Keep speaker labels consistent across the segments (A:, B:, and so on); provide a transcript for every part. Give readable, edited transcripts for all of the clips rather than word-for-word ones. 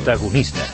A: Protagonistes.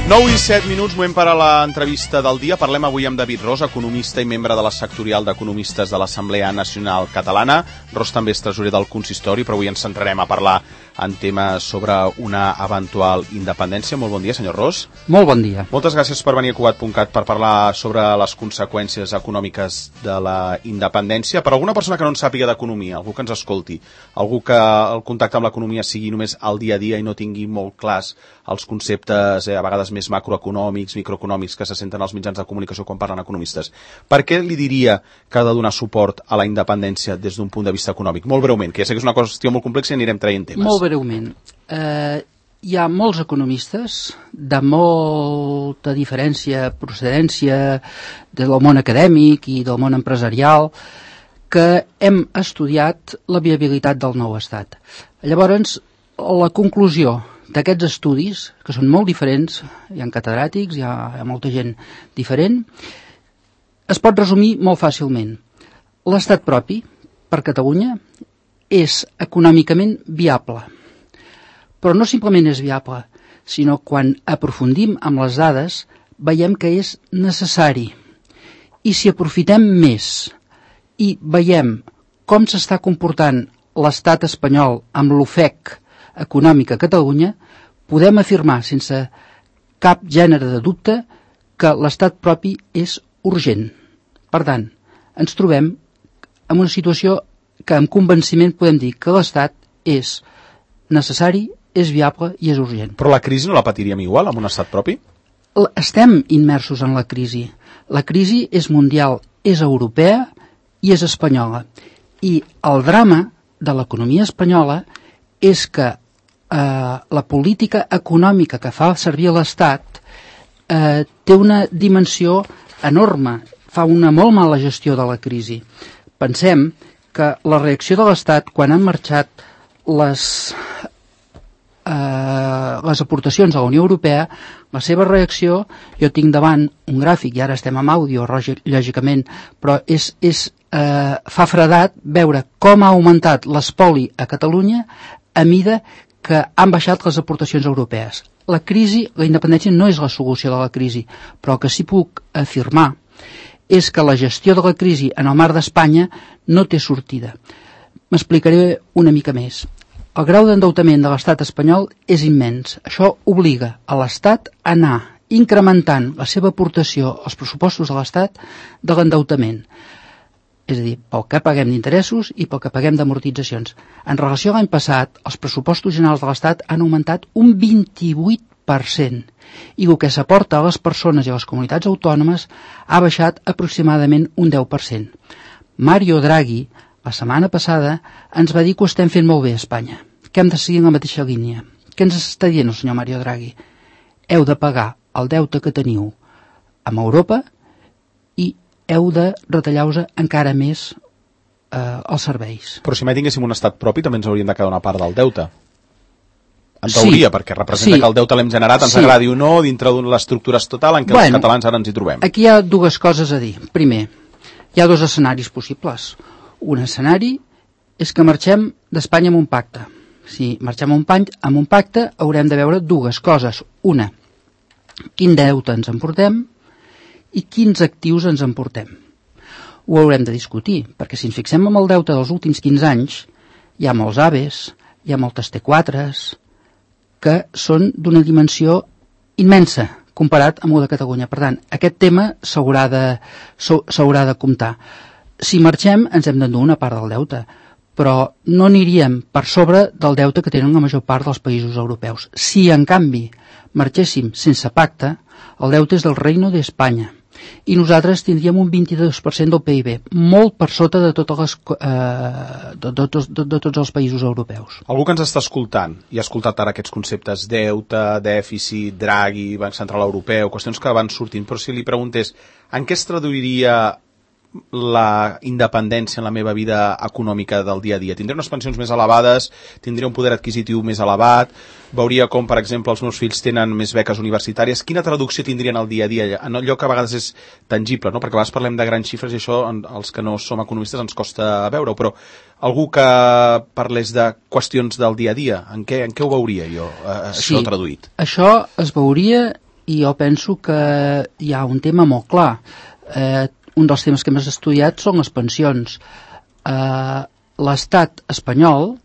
B: 9 i 7 minuts, moment per a l'entrevista del dia. Parlem avui amb David Ros, economista i membre de la sectorial d'economistes de l'Assemblea Nacional Catalana. Ros també és tresorer del consistori, però avui ens centrarem a parlar en temes sobre una eventual independència. Molt bon dia, senyor Ros.
C: Molt bon dia.
B: Moltes gràcies per venir a Cugat.cat per parlar sobre les conseqüències econòmiques de la independència. Per alguna persona que no en sàpiga d'economia, algú que ens escolti, algú que el contacte amb l'economia sigui només al dia a dia i no tingui molt clars els conceptes, a vegades més macroeconòmics, microeconòmics que se senten als mitjans de comunicació quan parlen economistes. Per què li diria que ha de donar suport a la independència des d'un punt de vista econòmic? Molt breument, que ja sé que és una qüestió molt complexa i anirem traient temes.
C: Molt breument. Hi ha molts economistes de molta diferència, procedència del món acadèmic i del món empresarial que hem estudiat la viabilitat del nou estat. Llavors, la conclusió d'aquests estudis, que són molt diferents, hi ha catedràtics, hi ha molta gent diferent, es pot resumir molt fàcilment. L'estat propi, per Catalunya, és econòmicament viable. Però no simplement és viable, sinó quan aprofundim amb les dades, veiem que és necessari. I si aprofitem més i veiem com s'està comportant l'estat espanyol amb l'ofec econòmica a Catalunya, podem afirmar sense cap gènere de dubte que l'estat propi és urgent. Per tant, ens trobem en una situació que amb convenciment podem dir que l'estat és necessari, és viable i és urgent.
B: Però la crisi no la patiríem igual amb un estat propi?
C: Estem immersos en la crisi. La crisi és mundial, és europea i és espanyola. I el drama de l'economia espanyola és que la política econòmica que fa servir l'Estat té una dimensió enorme, fa una molt mala gestió de la crisi. Pensem que la reacció de l'Estat quan han marxat les aportacions a la Unió Europea, la seva reacció, jo tinc davant un gràfic, i ara estem amb àudio, lògicament, però fa fredat veure com ha augmentat l'espoli a Catalunya a mida que han baixat les aportacions europees. La crisi, la independència no és la solució de la crisi, però el que sí puc afirmar és que la gestió de la crisi en el marc d'Espanya no té sortida. M'explicaré una mica més. El grau d'endeutament de l'estat espanyol és immens. Això obliga a l'estat a anar incrementant la seva aportació als pressupostos de l'estat de l'endeutament. És a dir, pel que paguem d'interessos i pel que paguem d'amortitzacions. En relació a l'any passat, els pressupostos generals de l'Estat han augmentat un 28% i el que s'aporta a les persones i a les comunitats autònomes ha baixat aproximadament un 10%. Mario Draghi, la setmana passada, ens va dir que ho estem fent molt bé a Espanya, que hem de seguir en la mateixa línia. Què ens està dient el senyor Mario Draghi? Heu de pagar el deute que teniu amb Europa i heu de retallar-vos encara més els serveis.
B: Però si mai tinguéssim un estat propi també ens hauríem de quedar una part del deute. En teoria, perquè representa que el deute l'hem generat, ens agradi o no, dintre de l'estructura estatal en què els catalans ara ens hi trobem.
C: Aquí hi ha dues coses a dir. Primer, hi ha dos escenaris possibles. Un escenari és que marxem d'Espanya amb un pacte. Si marxem amb un pacte haurem de veure dues coses. Una, quin deute ens emportem i quins actius ens emportem. Ho haurem de discutir, perquè si ens fixem en el deute dels últims 15 anys, hi ha molts AVEs, hi ha moltes T4s, que són d'una dimensió immensa comparat amb el de Catalunya. Per tant, aquest tema s'haurà de comptar. Si marxem, ens hem d'endur una part del deute, però no aniríem per sobre del deute que tenen la major part dels països europeus. Si, en canvi, marxéssim sense pacte, el deute és del Reino d'Espanya, i nosaltres tindríem un 22% del PIB, molt per sota de tots els països europeus.
B: Algú que ens està escoltant i ha escoltat ara aquests conceptes deute, dèficit, Draghi, Banc Central Europeu, qüestions que van sortint, però si li preguntés en què es traduiria la independència en la meva vida econòmica del dia a dia? Tindré unes pensions més elevades, tindré un poder adquisitiu més elevat, veuria com, per exemple, els meus fills tenen més beques universitàries. Quina traducció tindrien al dia a dia? En allò que a vegades és tangible, no? Perquè a vegades parlem de grans xifres i això, els que no som economistes, ens costa veure-ho, però algú que parlés de qüestions del dia a dia, en què ho veuria jo, això traduït?
C: Això es veuria, i jo penso que hi ha un tema molt clar. Un dels temes que hem estudiat són les pensions. L'estat espanyol,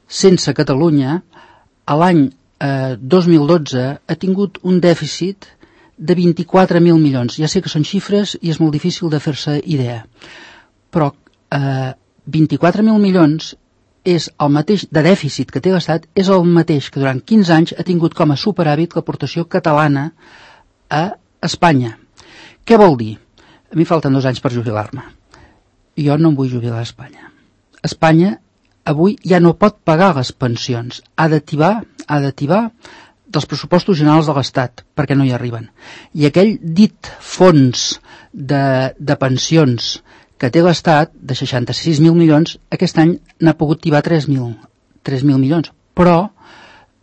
C: sense Catalunya, a l'any 2012 ha tingut un dèficit de 24.000 milions. Ja sé que són xifres i és molt difícil de fer-se idea, però 24.000 milions és el mateix de dèficit que té l'Estat, és el mateix que durant 15 anys ha tingut com a superàvit l'aportació catalana a Espanya. Què vol dir? A mi falten 2 anys per jubilar-me. Jo no em vull jubilar a Espanya. Espanya avui ja no pot pagar les pensions. Ha d'ativar dels pressupostos generals de l'Estat, perquè no hi arriben. I aquell dit fons de pensions que té l'Estat, de 66.000 milions, aquest any n'ha pogut tibar 3.000 milions. Però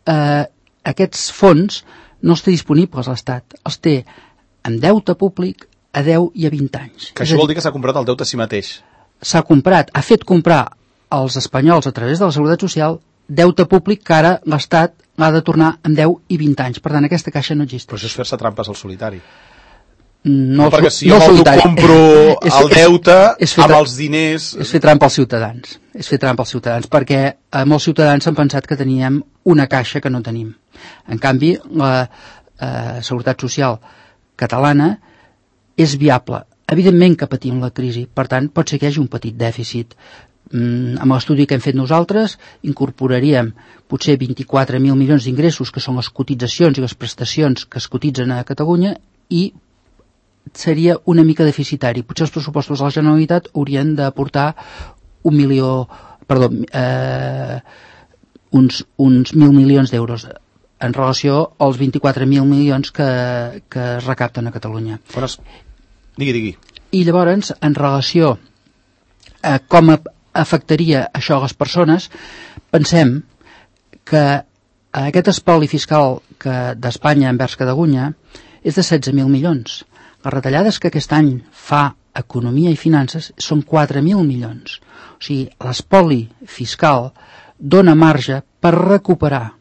C: aquests fons no els té disponibles l'Estat. Els té en deute públic a 10 i a 20 anys.
B: Que això vol dir que s'ha comprat el deute a si mateix.
C: S'ha comprat, ha fet comprar als espanyols a través de la Seguretat Social deute públic que ara l'Estat l'ha de tornar en 10 i 20 anys. Per tant, aquesta caixa no existeix.
B: Però això és fer-se trampes al solitari.
C: No,
B: perquè si jo compro el deute amb els diners...
C: És fer trampa als ciutadans. És fer trampa als ciutadans, perquè molts ciutadans han pensat que teníem una caixa que no tenim. En canvi, la Seguretat Social catalana és viable. Evidentment que patim la crisi, per tant, pot ser que hi hagi un petit dèficit. Amb l'estudi que hem fet nosaltres, incorporaríem potser 24.000 milions d'ingressos, que són les cotitzacions i les prestacions que es cotitzen a Catalunya, i seria una mica deficitari. Potser els pressupostos de la Generalitat haurien d'aportar uns 1.000 milions d'euros en relació als 24.000 milions que es recapten a Catalunya.
B: Digui.
C: I llavors, en relació a com afectaria això a les persones, pensem que aquest espoli fiscal d'Espanya envers Catalunya és de 16.000 milions. Les retallades que aquest any fa Economia i Finances són 4.000 milions. O sigui, l'espoli fiscal dona marge per recuperar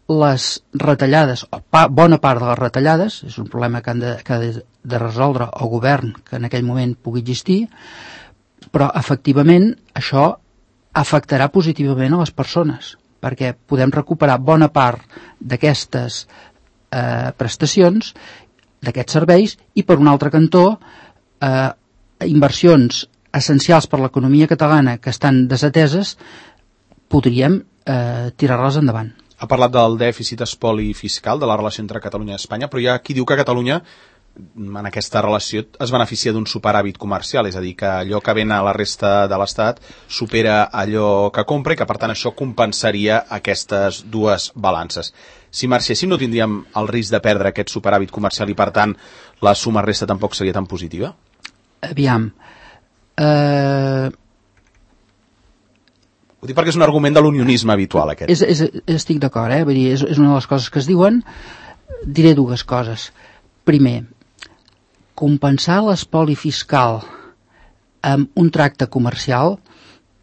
C: les retallades, o bona part de les retallades, és un problema que ha de resoldre el govern que en aquell moment pugui existir, però efectivament això afectarà positivament a les persones, perquè podem recuperar bona part d'aquestes prestacions, d'aquests serveis, i per un altre cantó inversions essencials per l'economia catalana que estan desateses podríem tirar-les endavant.
B: Ha parlat del dèficit espoli fiscal, de la relació entre Catalunya i Espanya, però hi ha qui diu que Catalunya en aquesta relació es beneficia d'un superàvit comercial, és a dir, que allò que ven a la resta de l'Estat supera allò que compra i que per tant això compensaria aquestes dues balances. Si marxéssim no tindríem el risc de perdre aquest superàvit comercial i per tant la suma resta tampoc seria tan positiva?
C: Aviam,
B: ho dic perquè és un argument de l'unionisme habitual, aquest.
C: Estic d'acord, vull dir, és una de les coses que es diuen. Diré dues coses. Primer, compensar l'espoli fiscal amb un tracte comercial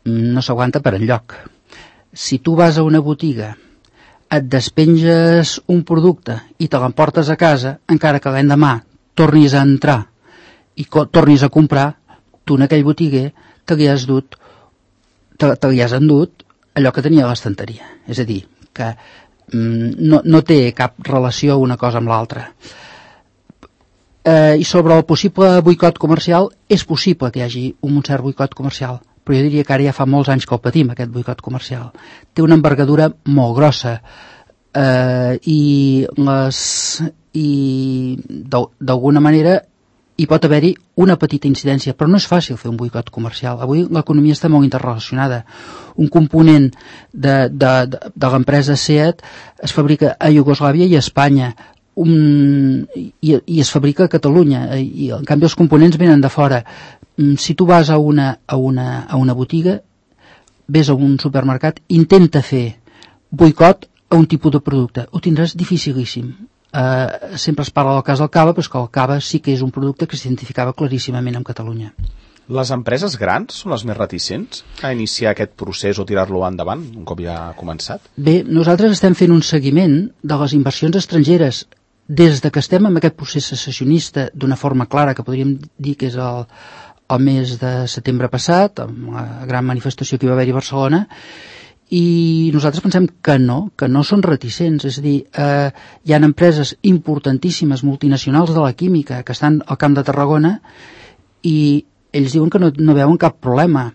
C: no s'aguanta per enlloc. Si tu vas a una botiga, et despenges un producte i te l'emportes a casa, encara que l'endemà tornis a entrar i tornis a comprar, tu en aquell botiguer te li has endut allò que tenia a l'estanteria. És a dir, que no té cap relació una cosa amb l'altra. I sobre el possible boicot comercial, és possible que hi hagi un cert boicot comercial, però jo diria que ara ja fa molts anys que el patim, aquest boicot comercial. Té una envergadura molt grossa i d'alguna manera hi pot haver-hi una petita incidència, però no és fàcil fer un boicot comercial. Avui l'economia està molt interrelacionada. Un component de l'empresa SEAT es fabrica a Iugoslàvia i a Espanya. i es fabrica a Catalunya, i en canvi els components venen de fora. Si tu vas a una botiga, ves a un supermercat, intenta fer boicot a un tipus de producte, ho tindràs dificilíssim. Sempre es parla del cas del cava, però és que el cava sí que és un producte que s'identificava claríssimament en Catalunya.
B: Les empreses grans són les més reticents a iniciar aquest procés o tirar-lo endavant, un cop ja ha començat?
C: Bé, nosaltres estem fent un seguiment de les inversions estrangeres des de que estem en aquest procés secessionista d'una forma clara, que podríem dir que és el mes de setembre passat, amb la gran manifestació que hi va haver a Barcelona, i nosaltres pensem que no són reticents, és a dir, hi ha empreses importantíssimes, multinacionals de la química, que estan al Camp de Tarragona, i ells diuen que no veuen cap problema.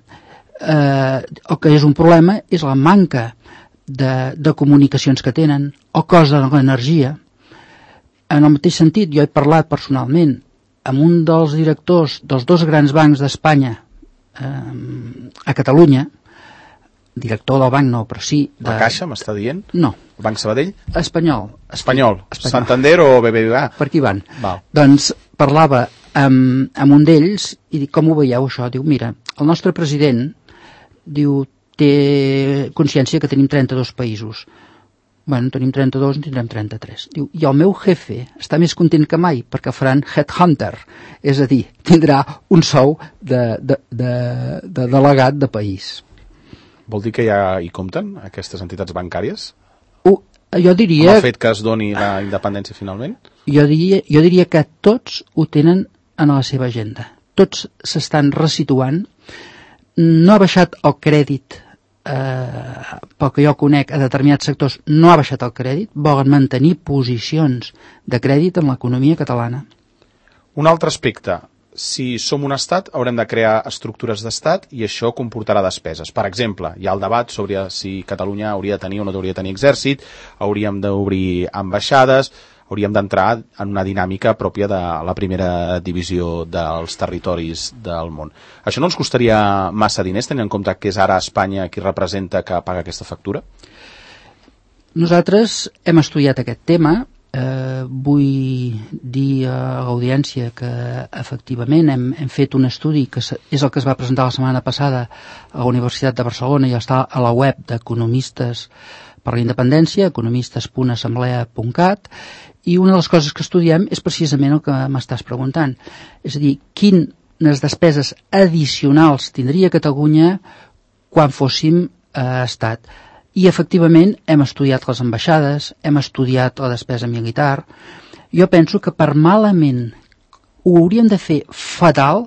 C: El que és un problema és la manca de comunicacions que tenen, el cost de l'energia. En el mateix sentit, jo he parlat personalment amb un dels directors dels 2 grans bancs d'Espanya a Catalunya, director del banc no, però sí...
B: La Caixa, m'està dient?
C: No.
B: El Banc Sabadell?
C: Espanyol.
B: Santander o BBVA?
C: Per aquí van.
B: Val.
C: Doncs parlava amb un d'ells i dic, com ho veieu això? Diu, mira, el nostre president diu, té consciència que tenim 32 països. Bueno, tenim 32, en tindrem 33. Diu, i el meu jefe està més content que mai perquè faran headhunter, és a dir, tindrà un sou de delegat de país.
B: Vol dir que ja hi compten aquestes entitats bancàries?
C: Jo diria...
B: Com ha fet que es doni la independència finalment?
C: Jo diria que tots ho tenen en la seva agenda. Tots s'estan resituant. No ha baixat el crèdit, pel que jo conec, a determinats sectors no ha baixat el crèdit, volen mantenir posicions de crèdit en l'economia catalana.
B: Un altre aspecte. Si som un estat, haurem de crear estructures d'estat i això comportarà despeses. Per exemple, hi ha el debat sobre si Catalunya hauria de tenir o no hauria de tenir exèrcit, hauríem d'obrir ambaixades, hauríem d'entrar en una dinàmica pròpia de la primera divisió dels territoris del món. Això no ens costaria massa diners, tenint en compte que és ara Espanya qui representa que paga aquesta factura?
C: Nosaltres hem estudiat aquest tema. Vull dir a l'audiència que efectivament hem fet un estudi que és el que es va presentar la setmana passada a la Universitat de Barcelona i està a la web d'Economistes per la Independència, economistes.assemblea.cat, i una de les coses que estudiem és precisament el que m'estàs preguntant, és a dir, quines despeses addicionals tindria Catalunya quan fóssim estat. I efectivament hem estudiat les ambaixades, hem estudiat la despesa militar. Jo penso que per malament ho hauríem de fer fatal,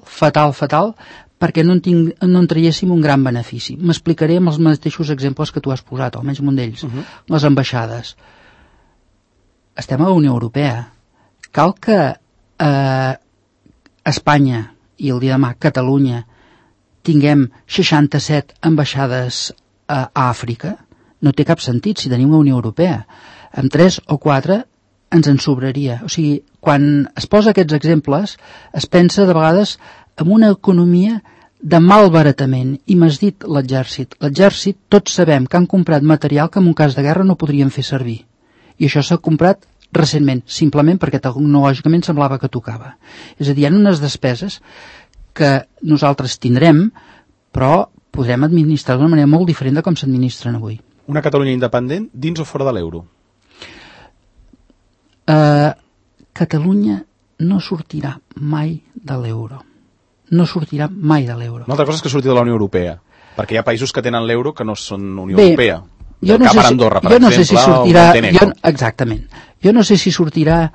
C: perquè no en traiéssim un gran benefici. M'explicaré amb els mateixos exemples que tu has posat, almenys un d'ells. Les ambaixades. Estem a la Unió Europea. Cal que Espanya i el dia de demà Catalunya tinguem 67 ambaixades a Àfrica. No té cap sentit si tenim la Unió Europea. Amb 3 o 4 ens en sobraria. O sigui, quan es posa aquests exemples, es pensa de vegades en una economia de malbaratament. I m'has dit l'exèrcit. L'exèrcit, tots sabem que han comprat material que en un cas de guerra no podrien fer servir. I això s'ha comprat recentment, simplement perquè tecnològicament semblava que tocava. És a dir, hi ha unes despeses que nosaltres tindrem, però podrem administrar d'una manera molt diferent de com s'administren avui.
B: Una Catalunya independent dins o fora de l'euro?
C: Catalunya no sortirà mai de l'euro. No sortirà mai de l'euro.
B: Una altra cosa és que surti de la Unió Europea, perquè hi ha països que tenen l'euro que no són Unió Europea.
C: Jo no sé
B: Andorra, per exemple,
C: no sé si sortirà, exactament. Jo no sé si sortirà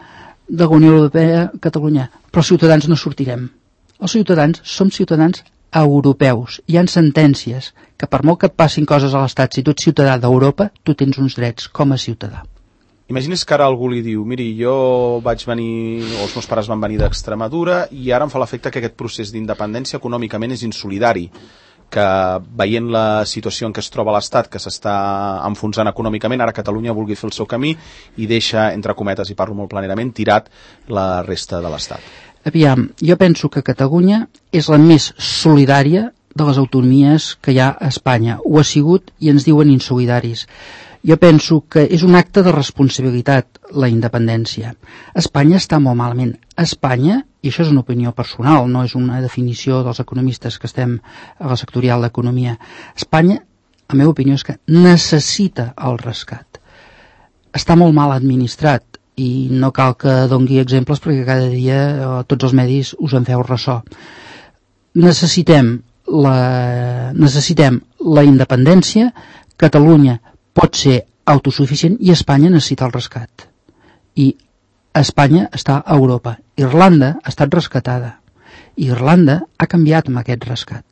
C: de la Unió Europea Catalunya, però els ciutadans no sortirem. Els ciutadans som ciutadans europeus. Hi ha sentències que per molt que et passin coses a l'Estat, si tu ets ciutadà d'Europa, tu tens uns drets com a ciutadà.
B: Imagines que ara algú li diu, miri, jo vaig venir, o els meus pares van venir d'Extremadura i ara em fa l'efecte que aquest procés d'independència econòmicament és insolidari, que veient la situació en què es troba l'Estat, que s'està enfonsant econòmicament, ara Catalunya vulgui fer el seu camí i deixa, entre cometes, i parlo molt planerament, tirat la resta de l'Estat.
C: Aviam, jo penso que Catalunya és la més solidària de les autonomies que hi ha a Espanya. Ho ha sigut i ens diuen insolidaris. Jo penso que és un acte de responsabilitat la independència. Espanya està molt malament. Espanya, i això és una opinió personal, no és una definició dels economistes que estem a la sectorial d'economia, Espanya, la meva opinió és que necessita el rescat. Està molt mal administrat i no cal que dongui exemples perquè cada dia tots els medis us en feu ressò. Necessitem la independència. Catalunya pot ser autosuficient i Espanya necessita el rescat. I Espanya està a Europa. Irlanda ha estat rescatada. Irlanda ha canviat amb aquest rescat.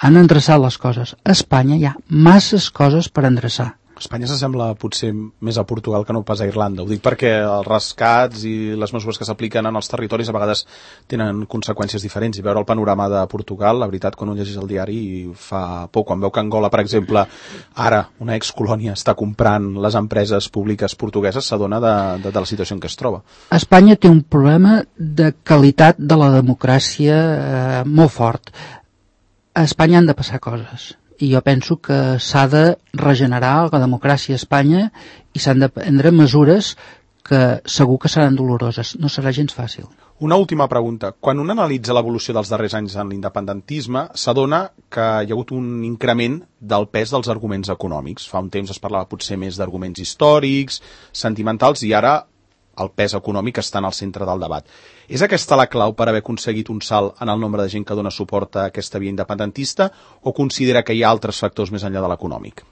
C: Han endreçat les coses. A Espanya hi ha masses coses per endreçar.
B: Espanya s'assembla potser més a Portugal que no pas a Irlanda. Ho dic perquè els rescats i les mesures que s'apliquen en els territoris a vegades tenen conseqüències diferents. I veure el panorama de Portugal, la veritat, quan un llegeix el diari fa por. Quan veu que Angola, per exemple, ara una excolònia està comprant les empreses públiques portugueses, s'adona de la situació en què es troba.
C: Espanya té un problema de qualitat de la democràcia molt fort. A Espanya han de passar coses. I jo penso que s'ha de regenerar la democràcia a Espanya i s'han de prendre mesures que segur que seran doloroses. No serà gens fàcil.
B: Una última pregunta. Quan un analitza l'evolució dels darrers anys en l'independentisme, s'adona que hi ha hagut un increment del pes dels arguments econòmics. Fa un temps es parlava potser més d'arguments històrics, sentimentals, i ara el pes econòmic està en el centre del debat. És aquesta la clau per haver aconseguit un salt en el nombre de gent que dona suport a aquesta via independentista o considera que hi ha altres factors més enllà de l'econòmic?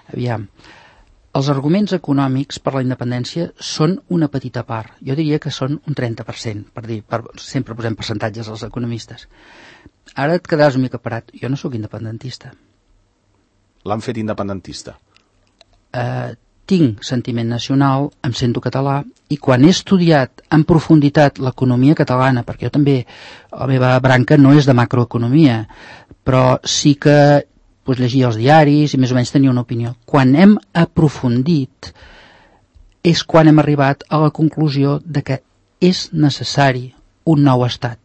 C: Aviam, els arguments econòmics per la independència són una petita part. Jo diria que són un 30%, sempre posem percentatges als economistes. Ara et quedaràs una mica parat. Jo no sóc independentista.
B: L'han fet independentista?
C: Tinc sentiment nacional, em sento català, i quan he estudiat en profunditat l'economia catalana, perquè jo també, la meva branca no és de macroeconomia, però sí que llegia els diaris i més o menys tenia una opinió. Quan hem aprofundit és quan hem arribat a la conclusió de que és necessari un nou estat.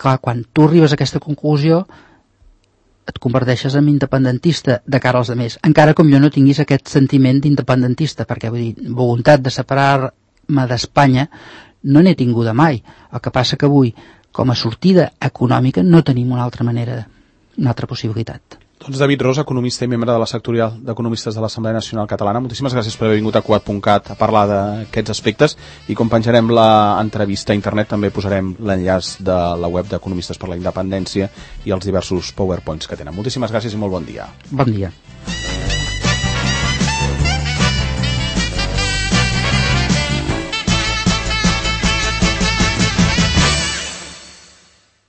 C: Clar, quan tu arribes a aquesta conclusió et converteixes en independentista de cara als altres, encara com jo no tinguis aquest sentiment d'independentista, perquè vull dir, voluntat de separar-me d'Espanya no n'he tinguda mai. El que passa que avui, com a sortida econòmica, no tenim una altra manera, una altra possibilitat.
B: Doncs David Ros, economista i membre de la sectorial d'economistes de l'Assemblea Nacional Catalana, moltíssimes gràcies per haver vingut a Cugat.cat a parlar d'aquests aspectes, i com penjarem l'entrevista a internet també posarem l'enllaç de la web d'Economistes per la Independència i els diversos PowerPoints que tenen. Moltíssimes gràcies i molt bon dia.
C: Bon dia.